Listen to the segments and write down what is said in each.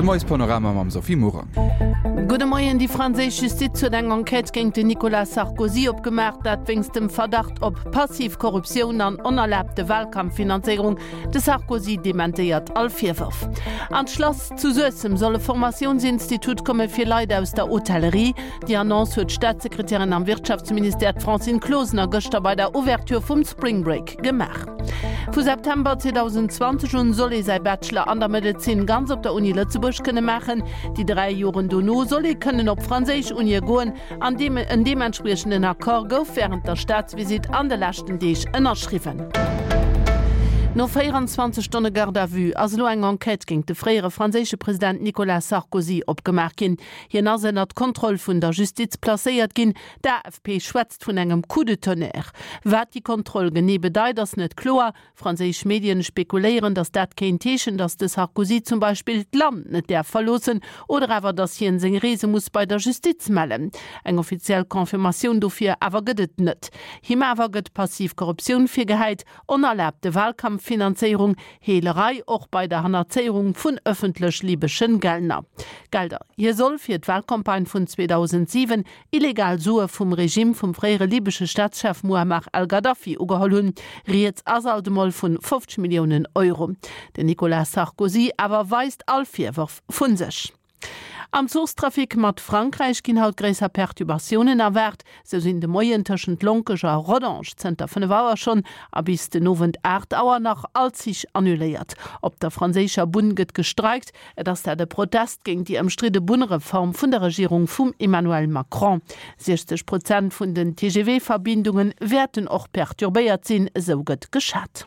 De Moiespanorama mam Sophie Morang. Gudde Moien, Déi franséisch Justiz huet eng Enquête géint den Nicolas Sarkozy opgemaach, dat wéinst dem Verdacht op passiv Korruptioun an onerlaabte Walkampffinanzéierung. De Sarkozy dementéiert all Virwërf. An d'Schlass zu Suessem soll e Formatiounsinstitut komme fir Leit aus der Hotellerie. Déi Annonce huet d'Staatssekretärin am Wirtschaftsministère, d'Francine Closener, gëschter bei der Ouverture vum Spring Break gemaach. Vu September 2020 un soll ee säi Bachelor an der Medezin ganz op der Uni Lëtzebuerg kënne maachen. Déi 3 Joren dono soll ee kënnen op franséisch Unie goen an deem en deementspriechenden Accord gouf wärend der Staatsvisitt an de leschten Deeg ënnerschriwwen. No 24 Stonne Garde à vue ass elo eng Enquête géint de fréiere franséische President Nicolas Sarkozy opgemaach ginn. Hien ass ënnert d'Kontroll vun der Justiz placéiert ginn. D'AFP schwätzt vun engem Coup de tonnerre. Wat déi Kontroll genee bedeit, ass net kloer. Franséisch Medien spekuléieren, datt dat kéint heeschen, datt de Sarkozy zum Beispill d'Land net däerf verloossen oder awer datt hien seng Reese muss bei der Justiz mellen. Eng offiziell Confirmatioun dofir awer gëtt et net. Him awer gëtt passiv Korruptioun virgehäit, onerlaabte Wahlkampffinanzéierung, Heelerei och bei der Hannerzéierung vun ëffentlech libeschen Gelner. Gelder. Hie soll fir d'Wahlcampagne vun 2007 illegal Sue vum Regime vum fréiere libesche Staatschef Muammar al-Gaddafi ugeholl hunn. Rieds ass alt emol vun 50 Milliounen Euro. Den Nicolas Sarkozy awer weist all Virwërf vu sech. Am Zuchstrafic mat Frankräich ginn haut gréisser Perturbatiounen erwaart. Sou sinn de Moien tëschent Lonkech a Rodange zënter 5 Auer schonn a bis den Owend 8 Auer nach all Zich annuléiert. Op der franséischer Bunn gëtt gestreikt. Et ass dat e Protest géint déi ëmstridde Bunnreform vun der Regierung vum Emmanuel Macron. 60 Prozent vun den TGV-Verbindunge wäerten och perturbéiert sinn, esou gëtt geschat.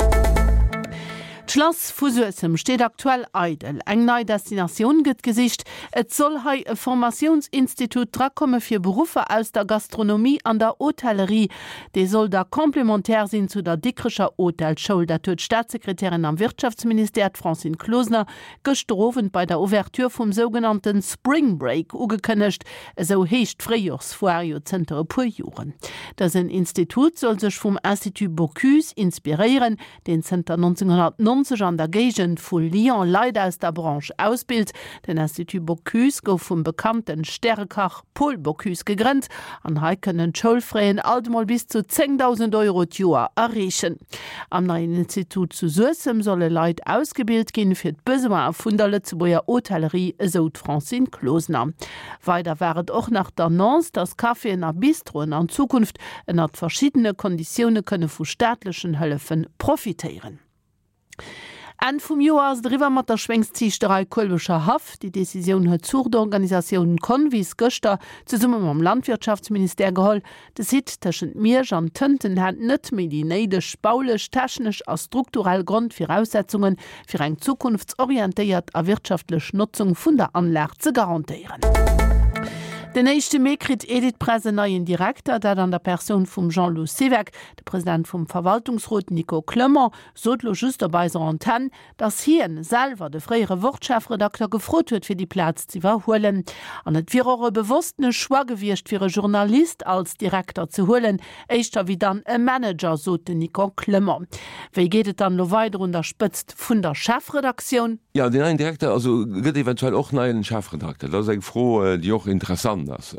D'Schlass vu Suessem steet aktuell eidel. Eng nei Destinatioun gëtt gesicht. Et soll hei e Formatiounsinstitut drakomme fir Beruffer aus der Gastronomie an der Hotellerie. Dee soll da complémentaire sinn zu der Dikrecher Hotelschoul. Dat huet d'Staatssekretärin am Wirtschaftsministère, d'Francine Closener, gëschter Owend bei der Ouverture vum sougenannte Spring Break ugekënnegt. Esou heescht d'Fréijorsfoire jo zënter e puer Joren. Dësen Institut soll sech vum Institut Bocuse inspiréieren, deen zënter 1990 an der Géigend vu Lyon Leit aus der Branche ausbilt. Den Institut Bocuse gouf vum bekannte Stärekach Paul Bocuse gegrënnt an hei kënnen d'Schoulfraien alt emol bis zu 10.000 Euro d'Joer erreechen. Am neien Institut zu Suessem solle Leit ausgebilt ginn, fir d'Besoine vun der Lëtzebuerger Hotellerie, esou d'Francine Closener. Weider war et och nach d'Annonce, datt Caféen a Bistroen an Zukunft ënnert verschiddene Konditioune kënne vu staatlechen Hëllefe profitéieren. Enn vum Joer ass et eriwwer mat der Schwéngsziichterei Kuelbecher Haff. Déi Decisioun huet d'Zuuchtorganisatioun Convis gëschter zesumme mam Landwirtschaftsministère geholl. De Site tëschent Miersch an Tënten hätt net méi déi néideg baulech, technesch a strukturell Grondviraussetzungen, fir eng zukunftsorientéiert a wirtschaftlech Notzung vun der Anlag ze garantéieren. Den éischte Mee kritt Editpress en neien Direkter, dat an der Persoun vum Jean-Lou Siweck. De President vum Verwaltungsrot Nico Clement sot lo just op eiser Antenn, datt hien selwer de fréiere Wort-Chefredakter gefrot huet fir déi Plaz z'iwwerhuelen. An et wier och e bewosstene Choix gewiescht fir e Journalist als Direkter ze huelen, éischter wéi dann e Manager, sot den Nico Clement. Wéi geet et dann elo weider un der Spëtzt vun der Chefredaktioun? Jo, deen neien Direkter, also gëtt eventuell och neien Chefredakter. Dat ass eng Fro, déi och interessant ass.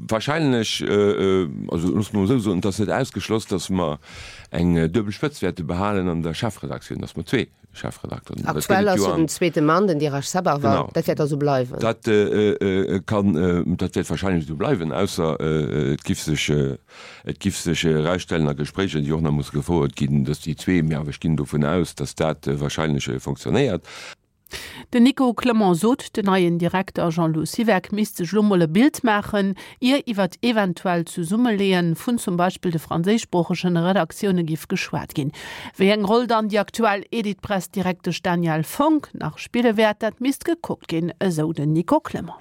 Wahrscheinlech, also loosse mer emol esou soen, et ass net ausgeschloss, datt mer eng duebel Spëtzt wäerte behalen an der Chefredaktioun, datt mer zwee Chefredakteren hunn. Aktuell ass jo den zweete Mann den Dirash Sabharwal. Dat wäert da sou bleiwen? Dat kann, dat wäert wahrscheinlech esou bleiwen, ausser et giff sech, et giff sech erausstellen a Gespréicher, déi och nach musse gefouert ginn, datt déi zwee, mee awer ech ginn dovun aus, datt dat wahrscheinlech fonctionnéiert. Den Nico Clement sot, den neien Direkter Jean-Lou Siweck misst sech elo mol e Bild maachen, ier iwwert eventuell Zesummeleeë vun zum Beispill de franséischsproochegen Redaktioune giff geschwat ginn. Wéi eng Roll dann déi aktuell Editpress-Direktesch Danièle Fonck nach spille wäert, dat misst gekuckt ginn, esou den Nico Clement.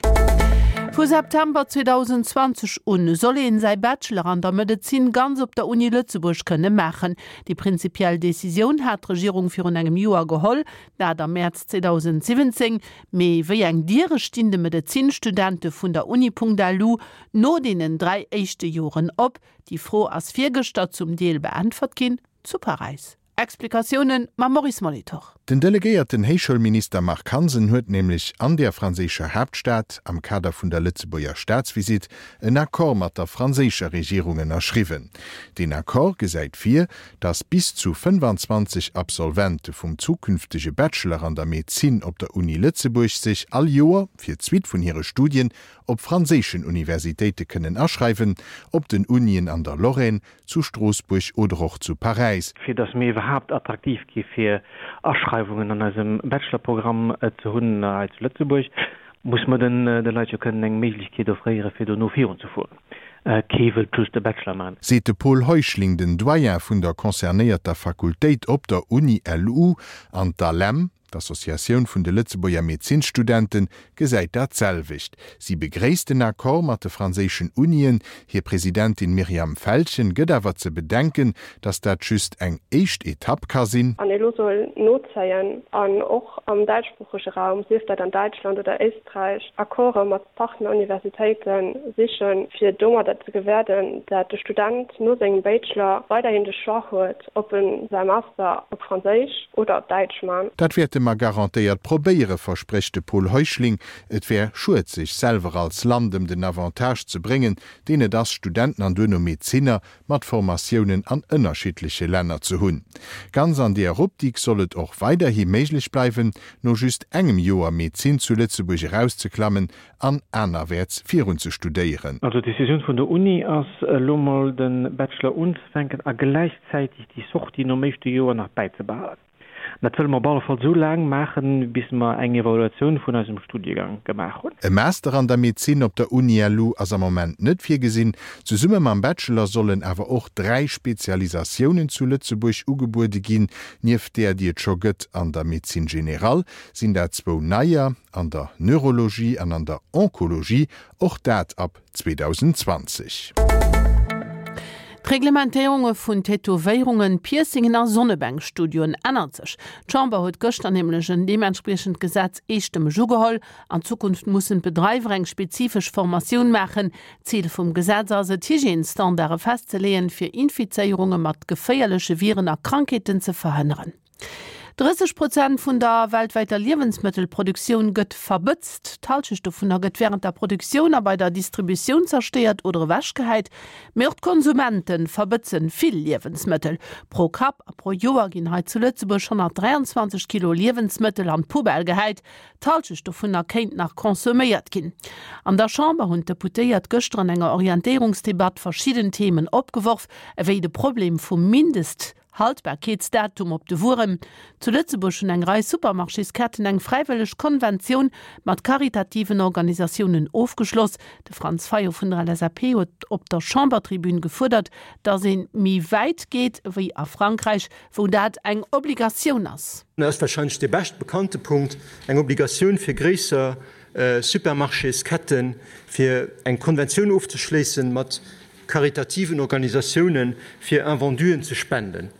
Vu September 2020 un soll een säi Bachelor an der Medezin ganz op der Uni Lëtzebuerg kënne maachen. Déi prinzipiell Decisioun hat d'Regierung virun engem Joer geholl. Dat am Mäerz 2017. Mee wéi eng Diere stinn de Medezinstudente vun der Uni.lu no deenen 3 éischte Joren op? Déi Fro ass virgëschter zum Deel beäntwert ginn zu Paräis. Explikatioune mam Maurice Molitor. Den delegéierten Héichschoulminister Marc Hansen huet nämlech an der franséischer Haaptstad, am Kader vun der Lëtzebuerger Staatsvisitt, en Accord mat der franséischer Regierung ënnerschriwwen. Deen Accord gesäit vir, datt bis zu 25 Absolvente vum zukünftege Bachelor an der Medezin op der Uni Lëtzebuerg sech all Joer fir d'Suite vun hire Studien op franséischen Universitéite kënnen aschreiwen, op den Unien an der Lorraine, zu Stroossbuerg oder och zu Paräis. Fir dass mir iwwerhaapt attraktiv gi fir Aschreiwungen an eisem Bachelorprogramm ze hunn hei zu Lëtzebuerg, muss mer den de Leit jo kënnen eng Méiglechkeet offréiere fir dono virunzefueren. Kee wëllt just e Bachelor maachen. Seet de Paul Heuschling, den Doyen vun der concernéierter Fakultéit op der Uni LU an d'ALEM. D'Associatioun vun de Lëtzebuerger Medezinsstudente gesäit dat selwecht. Si begréisst den Accord mat de franséischen Unien. Hir Presidentin Myriam Feltgen gëtt awer ze bedenken, datt dat just eng éischt Etapp ka sinn. An elo soll nozéien an och am däitschsproochege Raum, sief dat an Däitschland oder Éisträich, Accorde mat Partneruniversitéite sichen, fir domadder ze gewäerden, dat de Student no sengem Bachelor weiderhin de Choix huet, ob en säi Master op Franséisch oder op Däitsch man. Dat wäerte mer garantéiert probéieren, versprécht de Paul Heuschling. Et wär schued, sech selwer als Land ëm den Avantage ze bréngen, deen et ass, Studenten an duerno Medezinner mat Formatiounen an ënnerschiddleche Länner ze hunn. Ganz an deer Optik soll et och weiderhi méiglech bleiwen, no just engem Joer Medezin zu Lëtzebuerg erauszeklammen an anerwäerts virun ze studéieren. Also d'Decisioun vun der Uni ass elo mol de Bachelor unzefänken a gläichzäiteg déi Sortie nom éischte Joer nach bäizebehalen. Dat wëlle mer op alle Fall esou laang maachen, bis mer eng Evaluatioun vun eisem Studiegang gemaach hunn. E Master an der Medezin op der Uni LU ass am Moment net virgesinn. Zesumme mam Bachelor sollen awer och 3 Spezialisatiounen zu Lëtzebuerg ugebuede ginn. Nieft där, déi et scho gëtt an der Médecine générale, sinn dat zwou neier, an der Neurologie an an der Onkologie, och dat ab 2020. D'Reglementéierunge vun Tätowéierungen, Piercingen a Sonnebänkstudioen ännert sech. D'Chamber huet gëschter nämlech en deementspriechend Gesetz eestëmmeg ugeholl. An Zukunft mussen d'Bedreiwer eng spezifesch Formatioun maachen. Zil vum Gesetz ass et, Hygiènesstandarde festzeleeën, fir Infizéierunge mat geféierleche Viren a Krankheeten ze verhënneren. 30 Prozent vun der weltwäiter Liewensmëttelproduktioun gëtt verbëtzt. D'Hallschecht dovunner gëtt wärend der Produktioun a bei der Distributioun zerstéiert oder ewechgehäit. Mee och d'Konsumente verbëtzen vill Liewensmëttel. Pro Kapp a pro Joer ginn hei zu Lëtzebuerg 123 Kilo Liewensmëttel an d'Poubelle gehäit. D'Hallschecht dovunner kéint nach consomméiert ginn. An der Chamber hunn d'Deputéiert gëschter an enger Orientéierungsdebatt verschidden Themen opgeworf, ewéi de Problem vum Mindest. Haltbarkeetsdatum op de Wueren. Zu Lëtzebuerg hunn eng Rei Supermarchésketten eng fräiwëlleg Konventioun mat karitativen Organisatiounen ofgeschloss. De Franz Fayot vun der LSAP huet op der Chambertribün gefuerdert, datt ee méi wäit geet ewéi a Frankräich, wou dat eng Obligatioun ass. Dat ass warscheinlech dee bescht bekannte Punkt, eng Obligatioun fir gréisser Supermarchésketten, fir eng Konventioun ofzeschléissen mat karitativen Organisatiounen, fir Invenduen ze spenden.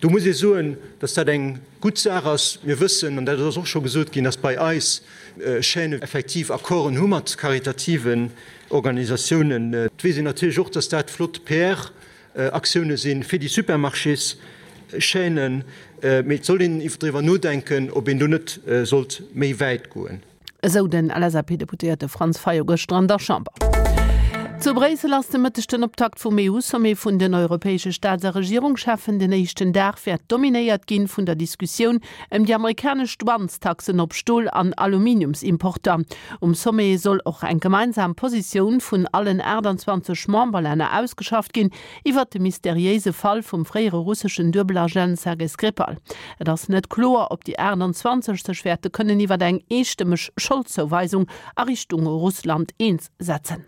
Do muss ee soen, dass dat eng gutt Saach ass. Mir wëssen, an dat ass och scho gesot ginn, dass bei eis Chaînen effektiv Accorden hu mat karitativen Organisatiounen. Et weess een natierlech och, dass dat flott PR-Aktioune si fir déi Supermarchéschaînen. Mee et soll een driwwer nodenken, ob een do net sollt méi wäit goen. Esou den LSAP-Deputéierte Franz Fayot gëschter an der Chamber. Zu Bréissel ass de Mëtteg den Optakt vum EU-Sommet vun den europäesche Staats a Regierungscheffen. Den éischten Dag wäert dominéiert ginn vun der Diskussioun ëm déi amerikanesch Douanestaxen op Stol an Aluminiumsimporter. Um Sommet soll och eng gemeinsam Positioun vun allen 28 Memberlänner ausgeschafft ginn, Iwwert de mysteriéise Fall vum fréiere russeschen Duebelagent Sergei Skripal. Et ass net kloer, ob déi 28 sech wäerte kënnen iwwer eng eestëmmeg Scholdzouweisung a Richtung Russland eens setzen.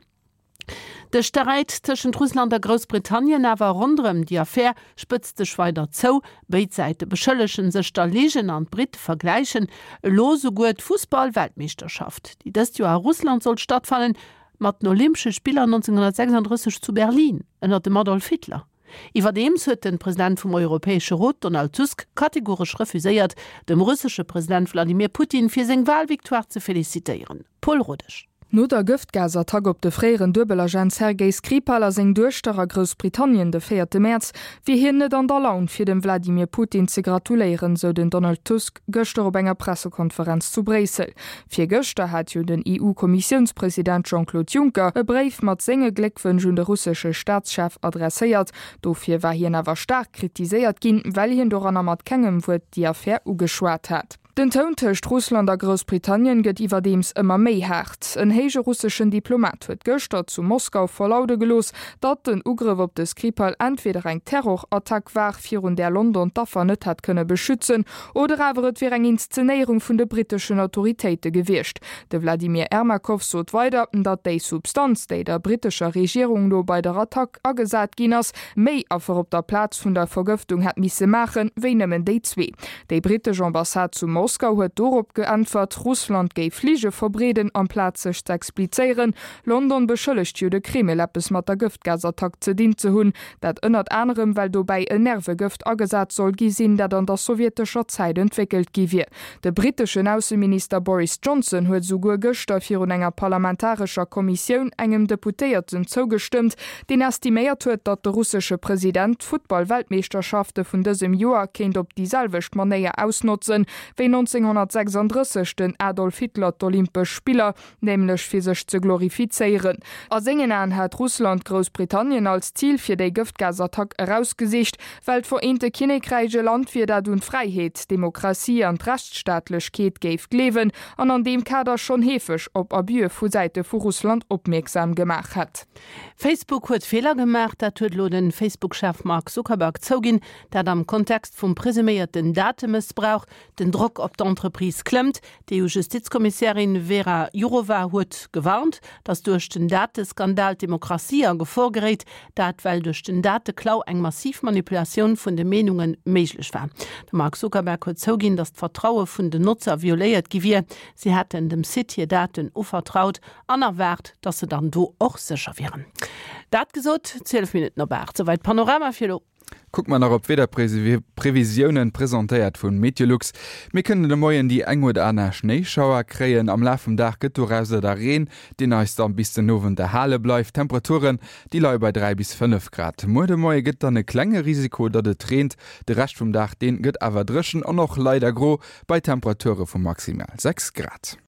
De Sträit tëschent Russland a Groussbritannien awer ronderëm déi Affär spëtzt sech weider zou. Béid Säite beschëllege sech der Ligen an d'Britte vergläichen elo souguer d'Fussball-Weltmeeschterschaft, déi dëst Joer a Russland sollt stattfannen, Mat den Olympesche Spiller 1936 zu Berlin ënner dem Adolf Hitler. Iwwerdeems huet de President vum Europäesche Rot Donald Tusk kategoresch refuséiert, dem russesche President Wladimir Putin fir seng Walvictoire ze felicitéieren. Paul Rodesch. No der Gëftgasattack op de fréieren Duebelagent Sergei Skripal a seng Duechter a Groussbritannien de véierte Mäerz, wier hien net an der Laun, fir dem Wladimir Putin ze gratuléieren, sou den Donald Tusk gëschter op enger Pressekonferenz zu Bréissel. Virgëschter hat jo den EU-Kommissiounspresident Jean-Claude Juncker e Bréif mat senge Gléckwënsch un de russesche Staatschef adresséiert. Dofir war hien awer staark kritiséiert ginn, well hien doranner mat kengem Wuert déi Affär ugeschwat hat. Den Toun tëscht Russland a Groussbritannien gëtt iwwerdeems ëmmer méi haart. En héije russeschen Diplomat huet gëschter zu Moskau verlaude gelooss, datt den Ugrëff op de Skripal entweder eng Terrorattack war, virun där London d'Affer net hätt kënne beschützen, oder awer et wier eng Inszenéierung vun de britteschen Autoritéite gewiescht. De Wladimir Ermakov sot weider, datt déi Substanz, déi der brittescher Regierung no bei der Attack agesat ginn ass, méi Affer op der Plaz vun der Vergëftung hätt misse maachen, wéi nëmmen déi zwee. Déi brittesch Ambassade zu Moskau huet dorop geäntwert, Russland géif Lige verbreeden, amplaz sech z'explizéieren. London beschëllegt jo de Kreml, eppes mat der Gëftgasattack ze dinn ze hunn. Dat ënnert anerem, well dobäi en Nervegëft agesat soll gi sinn, dat an der sowjetescher Zäit entwéckelt gi wier. De britteschen Ausseminister Boris Johnson huet esouguer gëschter virun enger parlamentarescher Kommissioun engem Deputéierten zougestëmmt, deen estiméiert huet, datt de russesche President d'Futtball-Weltmeeschterschafte vun dësem Joer kéint op déi selwecht Manéier ausnotzen, wéi 1936 den Adolf Hitler d'Olympesch Spiller, nämlech fir sech ze glorifizéieren. A sengen Aen hat Russland Groussbritannien als Zil fir déi Gëftgasattack erausgesicht, well d'Vereente Kinnekräich e Land wier, dat un d'Fräiheet, d'Demokratie an d'Rechtsstaatlechkeet géif gleewen an an deem Kader schonn heefeg op Abüe vu Säite vu Russland opmierksam gemaach hätt. Facebook huet Feeler gemaach, dat huet elo de Facebook-Chef Mark Zuckerberg zouginn. Dat am Kontext vum presuméierten Datemëssbrauch. Den Drock op d'Entreprise klëmmt. D'EU-Justizkommissärin Vera Jourova huet gewarnt, datt duerch den Dateskandal d'Demokratie a Gefor geréit. Dat well duerch den Dateklau eng massiv Manipulatioun vun de Meenunge méiglech war. De Mark Zuckerberg huet zouginn, datt d'Vertraue vun den Notzer violéiert gi wier. Si hätten dem Site hir Daten uvertraut an erwaart, datt se dann do och sécher wieren. Dat gesot, 12 Minutten op 8, souwäit Panorama fir elo. Kucke mer nach op d'Wiederprevisiounen, presentéiert vu Meteolux. Mir kënnen de Moien déi eng oder aner Schnéischauer kréien. Am Laf vum Dag gëtt dorauser da Reen, deen eis dann bis den Owend erhale bleift. D'Temperaturen, déi leie bei 3 bis 5 Grad. Muer de Moie gëtt dann e klenge Risiko, datt et reent. De Rescht vum Dag, deen gëtt awer dréchen an och leider gro, bei Temperature vu maximal 6 Grad.